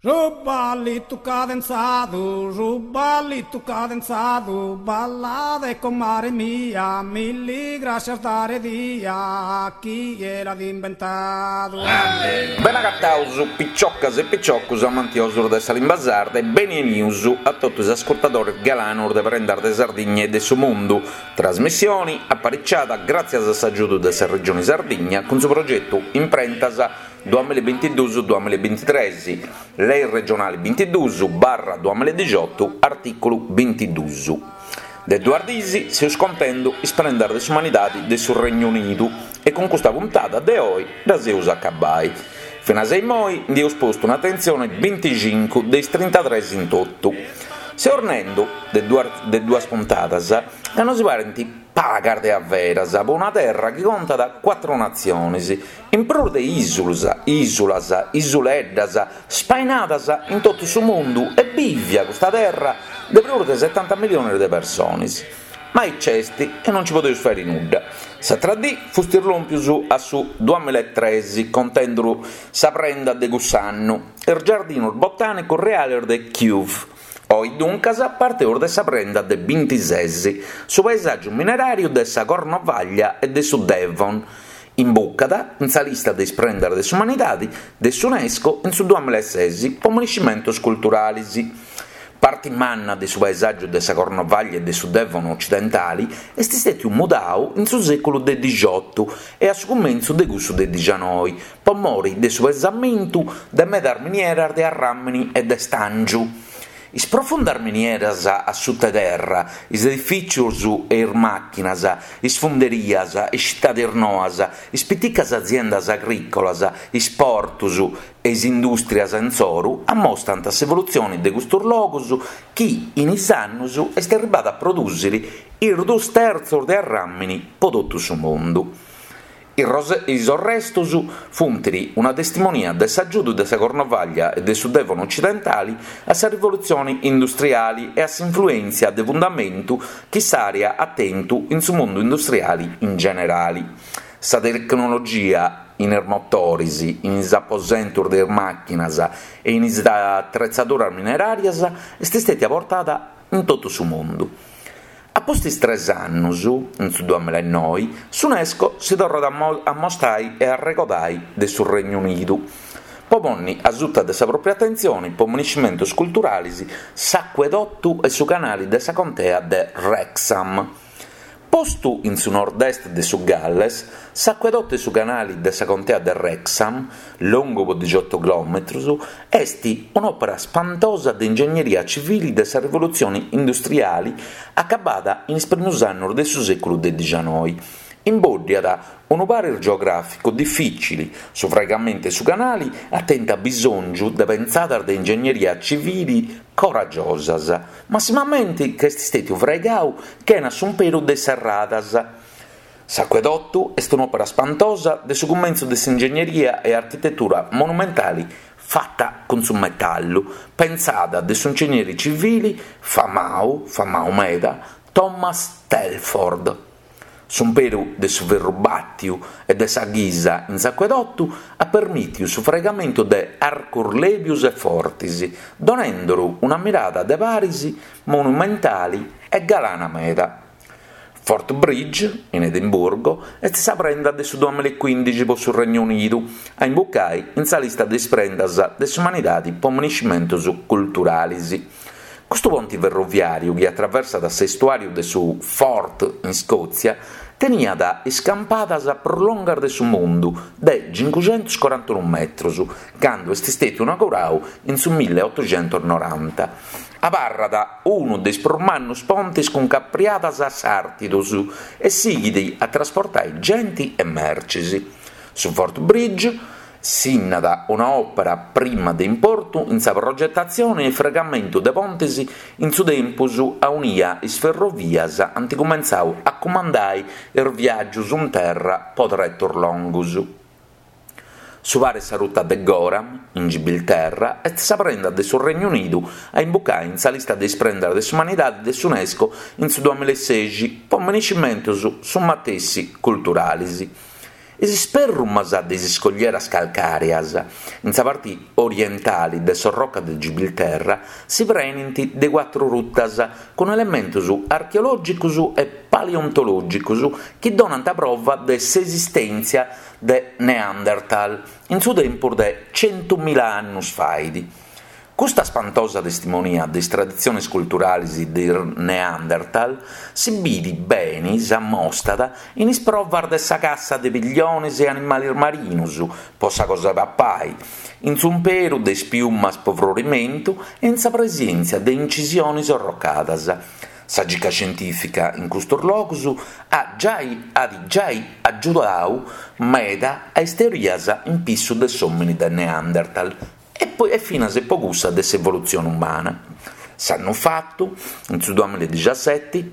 Su ballitu cadenzadu, su ballitu cadenzadu, ballade comare mia, milli grascias dare dia, chie l'at imbentadu. Benagataus picioccas e picioccus amantiosus de sa limba sarda e beni 'enius a totu is ascurtadoris galanos de Prendas de Sardigna e de su Mundu, trasmissioni apariciada gràtzias a s'agiudu de sa Regioni Sardigna cun su progetu Imprentas Duamilla e bintiduus duamilla e bintitres, Lei regionali bintiduus barra duamilla e dixiotu, artìculu bintiduus. De duas diis seus contendu is prendas de s'umanidadi de su Regnu Unidu e cun custa puntada de oi ddas eus a acabai. Finas a immoi ndi eus postu un'atentzioni binticincu de is trintatres in totu. Seus nendu de de duas puntadas ca nosi parint pagas de averas po una terra chi contat cuatru natzionis In prus de ìsulas, ìsulas, isuleddas, spainadas in totu su mundu e bìvia custa terra de prus de setanta milionis de personis. Ma aici est e non nci podeus fàiri nudda. S'atra dì fustis lòmpius a su duamillaetres contendu sa prenda de cuss'annu, is giardinus botànicus reales de Kew. Oi duncas parteus de sa prenda de bintises, su paesàgiu mineràriu de sa Cornovàglia e de su Devon, imbucada in sa lista de is prendas de s'umanidadi de s'Unesco in su duamillaeses po menescimentos culturalis. Parti manna de su paesàgiu de sa Cornovàglia e de su Devon ocidentali est stètiu mudau in su sèculu de dixiotu e a su cumentzu de cussu de dixianoi, po mori de su pesamentu de medas minieras de arràmini e de stàngiu. Is profundas minieras a suta terra, is edifìtzios e is màchinas, is funderias, is citadis noas, is piticas aziendas agrìcolas, is portos e is indùstrias insoru ammostant s'evolutzione de custos logos chi in is annos est arribbada a prodùsiri is duos tertzos de arràmini po totu su mundu. Is orrestos funt una testimonia de s'agiudu de sa Cornovàglia e de su Devon ocidentali a sa rivolutzione industriali e a s'influèntzia de fundamentu chi s'àrea at tentu in su mundu industriali in generali. Sa tecnologia in is motores, in is aposentos de is màchinas e in is atretzaduras mineràrias est stètia portada in totu su mundu. A pustis tres annus, in su duamillaenoi, s'Unesco si torrat a ammostai e arregodai de su Regnu Unidu, po ponni a suta de sa pròpria atentzioni po menescimentus culturalis s'acuedotu e su canali de sa contea de Wrexham. Postu in su nord-est de su Galles, s'acuedotu e su canali de sa contea de Wrexham, longu po dixiotu chilòmetrus, Est un'òpera spantosa de ingegneria civili de sa rivolutzione industriali acabada in is primus annos de su sèculu de dixianoi. Imbòddiat unu paris geogràficu difìcili, su fraigamentu 'e su canali at tentu abisòngiu de pentzadas de ingegneria civili coragiosas, massimamenti ca est stètiu fraigau chena s'umperu de is serradas. S'acuedotu est un'òpera spantosa de su cumentzu de s'ingegneria e architetura monumentali fata cun su metallu, pentzada de s'ingegneri civili famau, famau meda, Thomas Telford. S'umperu de su ferru bàtiu e de sa ghisa in s'acuedotu at permìtiu su fraigamentu de arcos lèbios e fortes, donenduru una mirada de paris monumentali e galana meda. Forth Bridge, in Edimburgo, est sa prenda de su duamillaecuindixi po su Regnu Unidu a imbucai in sa lista de is prendas de s'umanidadi po menescimentus culturalis. Custu ponti ferroviàriu chi atraversat s'estuàriu de su Forth in Scòtzia teniat is campadas prus longas de su mundu, de cincuxentuscorantunu metrus, candu est stètiu inaugurau in su milleotuxentusnoranta. Abarrat unu de is prus mannus pontis cun capriadas a sàrtidus e sighit a trasportai genti e mercis. Su Forth Bridge sinnat una òpera prima de importu in sa progetatzione e fraigamentu de pontis in su tempus aunia is ferrovias ant cumentzau a cumandai is viàgius in terra po tretus longus. Su paris sa ruta de Gorham, in Gibilterra, est sa prenda de su Regnu Unidu a imbucai in sa lista de is prendas de s'umanidadi de s'Unesco in su duamillaesexi po menescimentus su matessi culturalis. Is sperrumas de is scoglieras calcàreas, in sa parti orientali de s'orroca de Gibilterra, si prenint de cuatru grutas cun elementus archeològicus e paleontològicus chi donant prova de s'esistèntzia de Neanderthal in su tempus de centumila annus fait. Custa spantosa testimonia de is traditziones culturalis de is Neanderthal si bidi beni s'ammostat in is provas de sa cassa de pilliones e animales marinus po sa cosa 'e papai, in s'umperu de is piumas po frorimentu e in sa presèntzia de incisiones orrocadas. Sa cica scientìfica in custos logus at giai at giai agiudau meda a is teorias in pissu de s'òmini de Neanderthal e finas po cussa de s'evolutzione umana. S'annu fatu, in su duamilla e dixiaseti,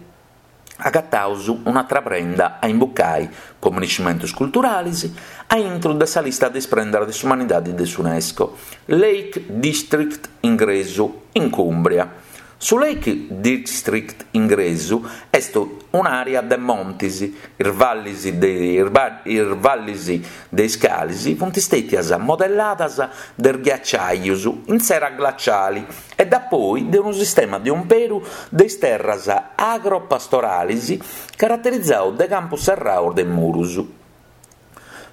agataus un'atra prenda a imbucai po minescimentus culturalis a intru de sa lista de is prendas de s'umanidadi de s'Unesco, Lake District ingresu in Cumbria. Su Lake District ingresu est un'àrea de montis, is vallis de is vallis de is calis funt stètias modelladas de is ghiaciajus in s'era glaciali e dapoi de unu sistema de umperu de is terras agro-pastoralis caraterizadu de campus serraus de murus.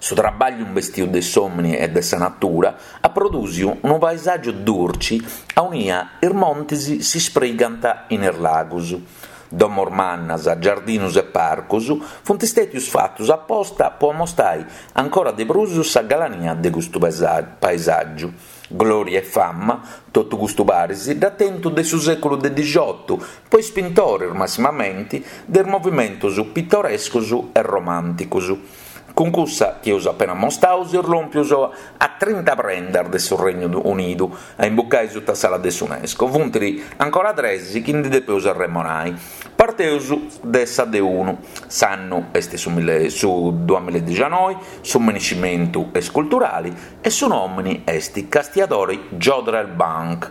Su trabagliu imbestiu de s'omini e de sa natura at prodùsiu unu paesàgiu durci aunia is montis si sprigant in is lagus. Domos mannas, giardinus e parcus funt stètius fatus aposta po amostai ancora de prus sa galania de custu paesàgiu. Glòria e fama, totu custu paris dd'at tentu de su sèculu de dixiotu, po is pintoris massimamenti de is movimentus pitorescus e romànticus. Cun cussa chi eus apena amostau seus lòmpius a trinta prendas de su Regnu Unidu a imbucai suta s'ala de s'Unesco. Funt ancora tres chi ndi depeus arremonai. Parteus de sa de unu. S'annu est su su duamilla e dixianoi, su minescimentu est culturali e su nòmini est Castiadori Jodrell Bank.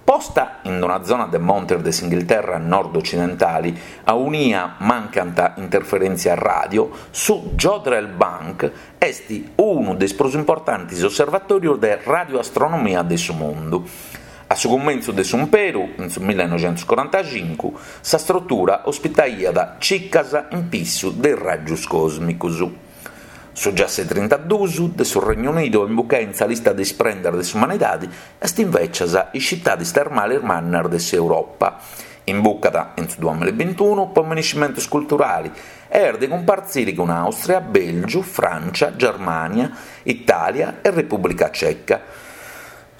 Posta in una zona de montes de s'Inghilterra nord-ocidentali, aunia mancant interferèntzias ràdio, su Jodrell Bank est unu de is prus importantes osservatòrios de radioastronomia de su mundu. A su cumentzu de s'umperu, in su millenoixentuscorantacincu, sa strutura ospitaiat cicas in pissu de is ràgios còsmicos. Su giassu 'e trintaduus de su Regnu Unidu a imbucai in sa lista de is prendas de s'umanidadi est invècias is citadis termalis mannas de s'Europa. Imbucat in su duamilla e bintunu po minescimentus culturali e est de cumpartziri cun Àustria, Bèlgiu, Frància, Germània, Itàlia e Repùblica Ceca.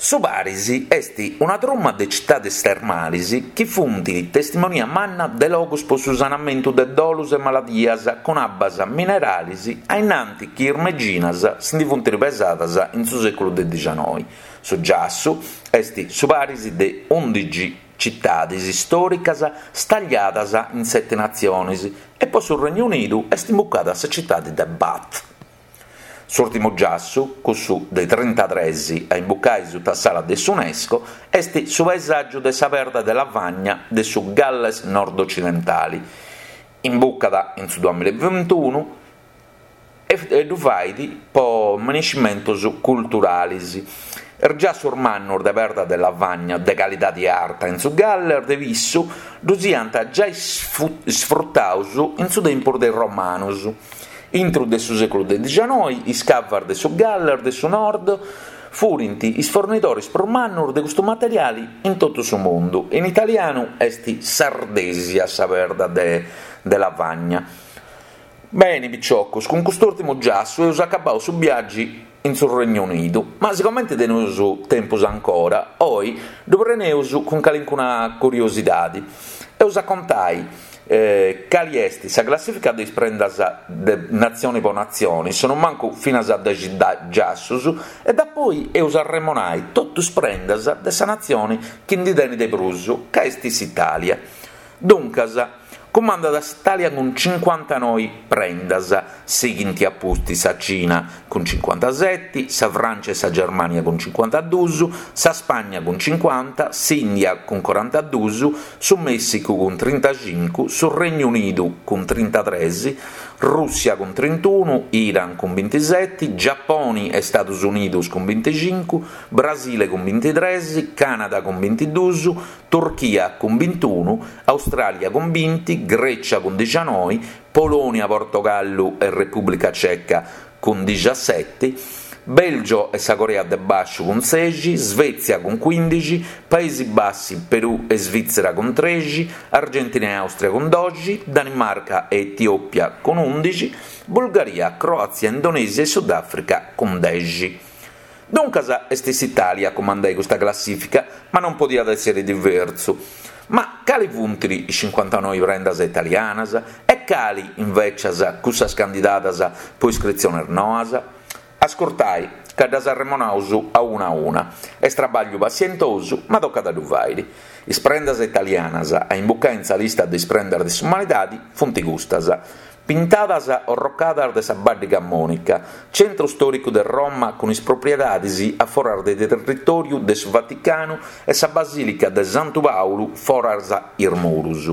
Su paris est una truma de citadis termalis chi funt testimonia manna de logus po su sanamentu de dolus e maladias cun abbas mineralis a innanti chi is meginas si ndi funt pesadas in su seculu de dixanoi. Su giassu est su paris de undixi citadis storicas stagliadas in seti natzionis e po su Regnu Unidu est imbucada sa citadi de Bath. S'ùrtimu giassu, cussu de trintatres a imbucai suta s'ala de s'Unesco, est su paesàgiu de sa perda de lavagna de su Galles nord-ocidentali. Imbucat in su duamilla e bintunu e ddu fait po minescimentus culturalis. Is giassus mannus de perda de lavagna de calidadi arta in su Galles de pissu ddus iant giai sfrutaus in su tempus de is Romanus. Intru de su sèculu de dixanoi, is cavas de su Galles de su Nord furint is fornidoris prus mannus de custu materiali in totu su mundu. In italianu est s'ardesia sa perda de de lavagna. Beni, piciocus, cun cust'ùrtimu giassu eus acabau su biàgiu in su Regnu Unidu, ma sigomenti teneus tempus ancora, oi ddu preneus cun calincuna curiosidadi. Eus a contai Cali est sa classifica de is prendas de natzioni po natzioni, sonumancu finas a dexi giassus, e dapoi eus a arremonai totu is prendas de sa natzioni chi ndi tenit de prus, ca est s'Italia. Duncas, Cumandat s'Italia cun cincuantanoi prendas, sighint a pustis sa Cina cun cincuantaseti, sa Francia e sa Germania cun cincuantadus, sa Spagna cun cincuanta, s'India cun corantadus, su Messicu cun trintacincu, su Regnu Unidu cun trintatres. Rùssia cun trintunu, Iran cun bintiseti, Giaponi e Stadus Unidus cun binticincu, Brasile cun bintitres, Canada cun bintidus, Turchia cun bintunu, Austràlia cun binti, Grècia cun dixianoi, Polònia, Portogallu e Repùblica Ceca cun dixiaseti, Bèlgio e sa Corea de Bàsciu cun sexi, Svètzia cun cuìndixi, Paesi Bassi, Perù e Svìtzera cun trexi, Argentina e Àustria cun doxi, Danimarca e Etiòpia cun ùndixi, Bulgaria, Croàtzia, Indonèsia e Sudàfrica cun dexi. Duncas est s'Itàlia a cumandai custa classìfica, ma non podiat èssere diversu. Ma cali funt is cincuantanoi prendas italianas e cali, invècias, cussas candidadas po iscritziones noas? Ascurtai, ca ddas arremonaus a una a una. Est trabagliu passientosu, ma tocat a ddu fàiri. Is prendas italianas a imbucai in sa lista de is prendas de s'umanidadi funt custas, Pintadas orrocadas de sa Baddi Camonica, centru stòricu de Roma cun is propriedadis a foras de territòriu de su Vaticanu e sa Basìlica de Santu Pàulu foras is murus.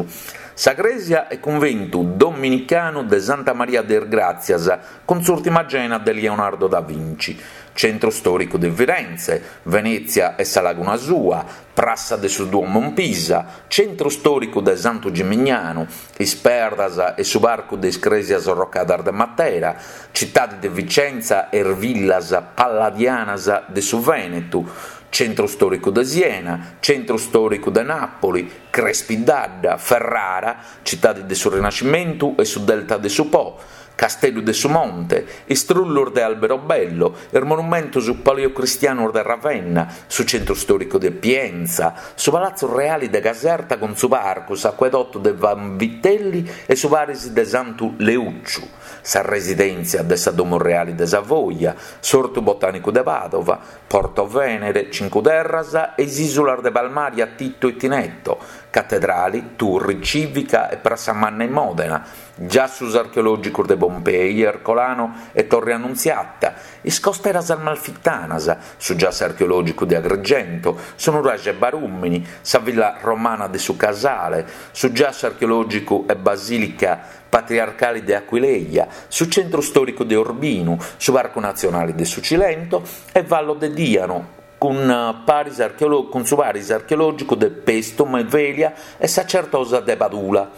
Sa crèsia e cunventu dominicanu de Santa Maria de is Gràtzias cun s'Ùrtima Cena de Leonardo da Vinci, centru stòricu de Firenze, Venètzia e sa laguna sua, Prassa de su Duomo in Pisa, centru stòricu de Santu Gimignanu, is perdas e su parcu de is crèsias orrocadas de Matera, citadi de Vicenza e is villas palladianas de su Vènetu, centru stòricu de Siena, centru stòricu de Nàpoli, Crespi d'Adda, Ferrara, citadi de su Rinascimentu e su Delta de su Po, Casteddu de su Monte, is trullus de Alberobello, is monumentus paleocristianus de Ravenna, su centru stòricu de Pienza, su Palatzu Reali de Caserta cun su parcu, s'acuedotu de Vanvitelli e su paris de Santu Leucciu, sa residèntzia de sa Domu Reali de Savoia, s'Ortu Botànicu de Pàdova, Porto Venere, Cincu Terras e is ìsulas de Palmaria, Tito e Tinetto, Catedrali, Turri Cìvica e Prassa Manna in Mòdena, Giassus archeològicos de Pompei, Ercolano e Torre Annunziata, is costeras amalfitanas, su giassu archeològicu de Agrigento, su nuraxe Barùmini, sa villa romana de su Casale, su giassu archeològicu e basìlica patriarcali de Aquileia, su centru stòricu de Urbinu, su parcu natzionali de su Cilento e Vallo de Diano, cun paris cun su paris archeològicu de Paestum e Velia e sa Certosa de Padula.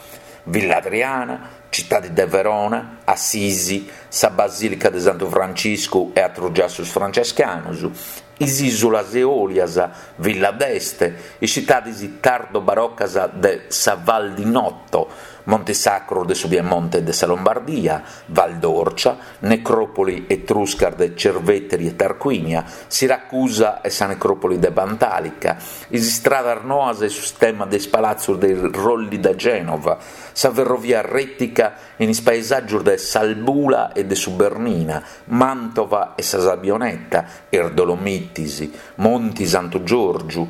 Villa Adriana, citadi de Verona, Assisi, sa Basìlica de Santu Franciscu e atrus giassus francescanus, is ìsulas Eòlias, Villa d'Este, is citadis tardo-barocas de sa Val di Noto, Montis Sacros de su Piemonte e de sa Lombardia, Val d'Orcia, necròpoli etruscas de Cerveteri e Tarquinia, Siracusa e sa necròpoli de Pantalica, is istradas noas e su sistema de is palatzus de is Rolli de Gènova, sa ferrovia rètica in is paesàgios de s'Albula e de su Bernina, Màntova e sa Sabbioneta, is Dolomitis, Monti Santu Giorgiu,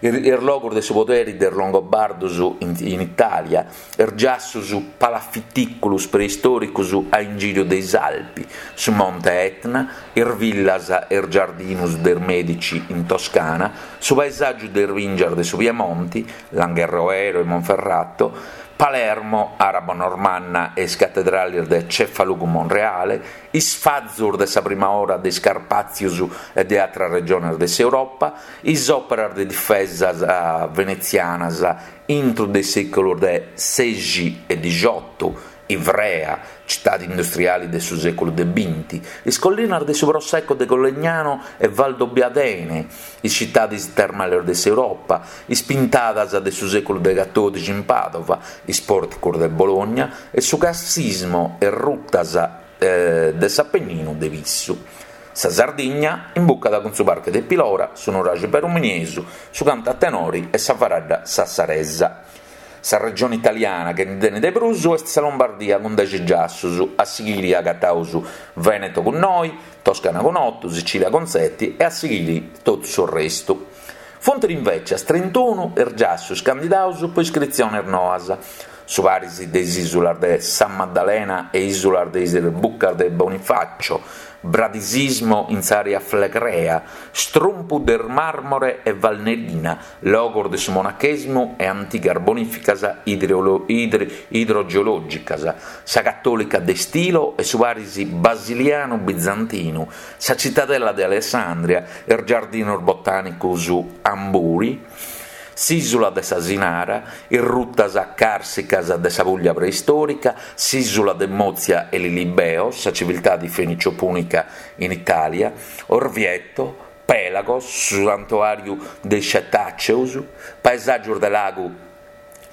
is logos de su poderi de is Longobardos in Itàlia, is giassus palafitìculus preistòricus a ingìriu de is Alpi, su Monte Etna, is villas e is giardinus de is Medici in Toscana, su paesàgiu de is bìngias de su Piemonti, Langhe Roero e Monferrato, Palermo, arabo-normanna e is catedralis de Cefalù cun Monreale, is fazus de sa prima ora de is Carpàtzius e de atras regiones de s'Europa, is òperas de difesas venetzianas intru de is sèculos de sexi e dixotu, Ivrea, citadi industriali de su sèculu de binti, is collinas de su Prosecco de Collegnano e Valdobbiadene, is citadis termales de s'Europa, is pintadas de su sèculu de catòdixi in Pàdova, is pòrticos de Bologna e su carsismo e rutas de s'Apenninu de Vissu. Sa Sardigna imbucat cun su Parcu de Pilora, su Nuraxi Baruminiesu, su cantu a tenori e sa faradda sassaresa. Sa regione italiana chi ndi tenit de prus est sa Lombardia cun dexi giassus, a sighiri agataus Veneto cun noi, Toscana cun otu, Sicilia cun seti e a sighiri totu su restu. Funt invècias trintunu is giassus candidaus po iscritziones noas. su paris de is ìsulas de Sa Maddalena e ìsulas de is Buccas de Bonifacio, bradisismo in s'àrea flegrea, strumpu de Marmore e Valnerina, logos de su monachèsimu e antigas bonìficas idrogeològicas, sa Catòlica de Stilo e su paris basilianu-bizantinu, sa Citadella de Alessandria, is giardinos botànicos Hanbury, s'ìsula de s'Asinara, is rutas càrsicas de sa Puglia preistòrica, s'ìsula de Mozia e Lilibeo, sa civiltade fenicio-pùnica in Itàlia, Orvieto, Pèlagos, su santuàriu de is Cetàceos, paesàgios de lagu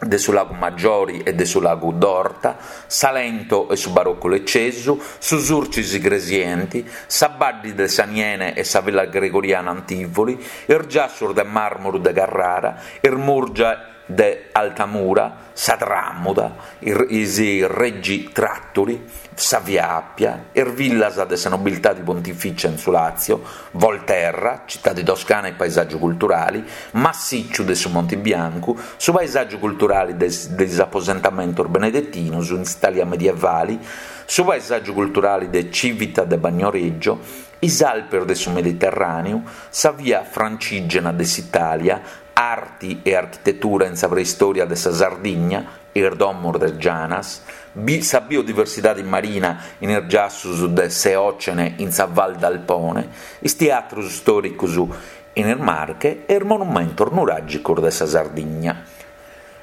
de su Lagu Maggiori e de su Lagu d'Orta, Salento e su Baroccu Leccesu, su Surcis Igresienti, sa Baddi de s'Aniene e sa Villa Gregoriana Antivoli, is giassus de màrmuru de Carrara, is Murgia de Altamura, sa Tràmuda, is Regi Tratturi, sa Via Appia, is villas de sa nobiltadi pontificia in su Lazio, Volterra, citadi toscana e paesàgiu culturali, Massìciu de su Monti Biancu, su paesàgiu culturali de is aposentamentos benedetinos in s'Itàlia medievali, su paesàgiu culturali de Civita de Bagnoregio, is Alpes de su Mediterràneu, sa Via Francigena de s'Itàlia, arti e architetura in sa preistòria de sa Sardigna, is domos de Gianas, sa biodiversidadi marina in is giassus de s'Eocene in sa Val d'Alpone, is teatrus stòricus in is Marche e is monumentos nuràgicos de sa Sardigna.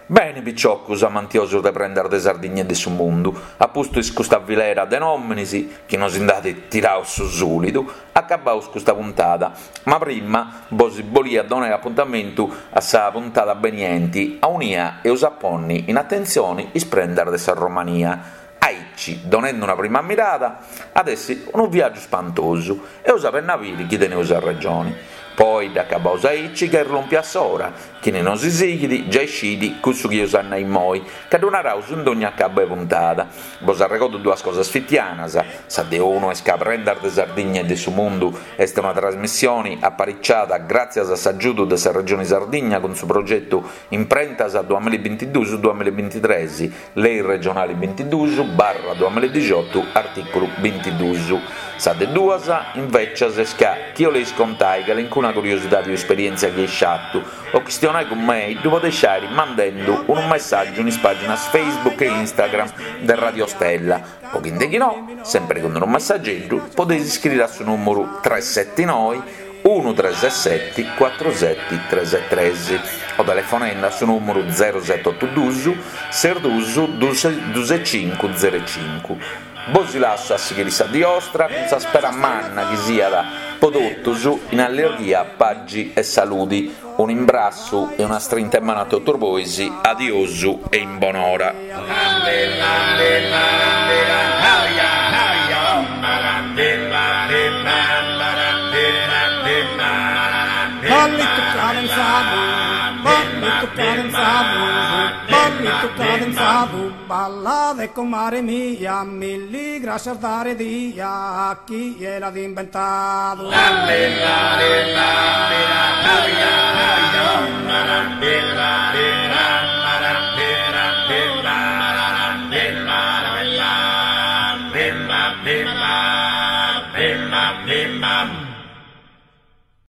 Beni, piciocus amantiosus de prendas de Sardigna e de su mundu, a pustis custa filera de nòminis chi nos nd'at tirau su sùlidu, acabaus custa puntada, ma prima bos bolia donai apuntamentu a sa puntada benienti aunia eus a ponni in atentzioni is prendas de sa Romania. Aici, donendi una prima mirada, at essi unu viàgiu spantosu, eus a benni a biri chi teneus arregioni. Po oi dd'acabaus aici ca est lòmpia s'ora, chini nosi sighit giai scit cussu chi eus a nai immoi, ca ddu naraus in dogna acabu 'e puntada. Bos arregodu duas cosas fitianas, sa de unu est ca Prendas de Sardigna e de su Mundu est una trasmissioni apariciada gràtzias a s'agiudu de sa Regioni Sardigna cun su progetu Imprentas duamillabintiduus duamillabintitres, Lei regionali bintiduus barra duamilladixotu artìculu bintiduus. Sa de duas, invècias, est ca chi 'oleis contai calincuna curiosidadi o esperièntzia chi eis fatu o chistionai cun mei ddu podeis fai mandendu unu messàgiu in is pàginas Facebook e Instagram de Radio Stella o chi de chi no, sempri cun unu messageddu, podeis iscriri a su nùmuru tresetinoi unu treseseti cuatru seti tresetresi o telefonendi a su nùmuru zerosetotudus ses dus dusecincu zerecincu. Bosi lassu a sighiri sa dì 'ostra cun sa spera manna chi siat po totus in allirghia, pagi e saludi. Un'imbrassu e una strinta 'e manu a totus bois, adiosu e in bonora. Ballitu cadenzadu, ballitu cadenzadu, ballitu cadenzadu, ballade comare mia, milli grascias dare dia, chie l'at imbentadu.